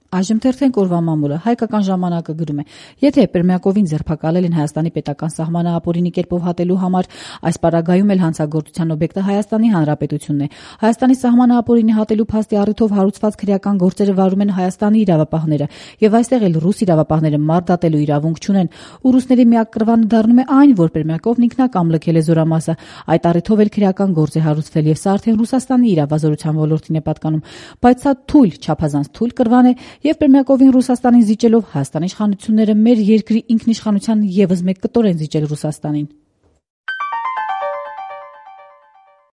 Այժմ թերթենք օրվա մամուլը։ Հայկական ժամանակը գրում է. եթե Պերմյակովին ձերբակալել են Հայաստանի պետական սահմանը ապօրինի կերպով հատելու համար, այս պարագայում էլ հանցագործության օբյեկտը Հայաստանի Հանրապետությունն է։ Հայաստանի սահմանը ապօրինի հատելու փաստի առիթով հարուցված քրեական գործերը վարում են Հայաստանի իրավապահները, եւ այստեղ էլ ռուս իրավապահները մարտատելու իրավունք չունեն։ Ու ռուսների միակ կռվանը դառնում է այն, որ Պերմյակովն ինքնակամ լքել է զորամասը։ Այդ առիթով էլ քրեական գործ է հարուցվել, եւ սա արդեն Ռուսաստանի իրավազորության ոլորտին է պատկանում։ Բայց սա թույլ, չափազանց թույլ կռվան է, եւ Պերմյակովին Ռուսաստանին զիջելով Հայաստանի իշխանությունները մեր երկրի ինքնիշխանության եւս մեկ կտոր են զիջել Ռուսաստանին։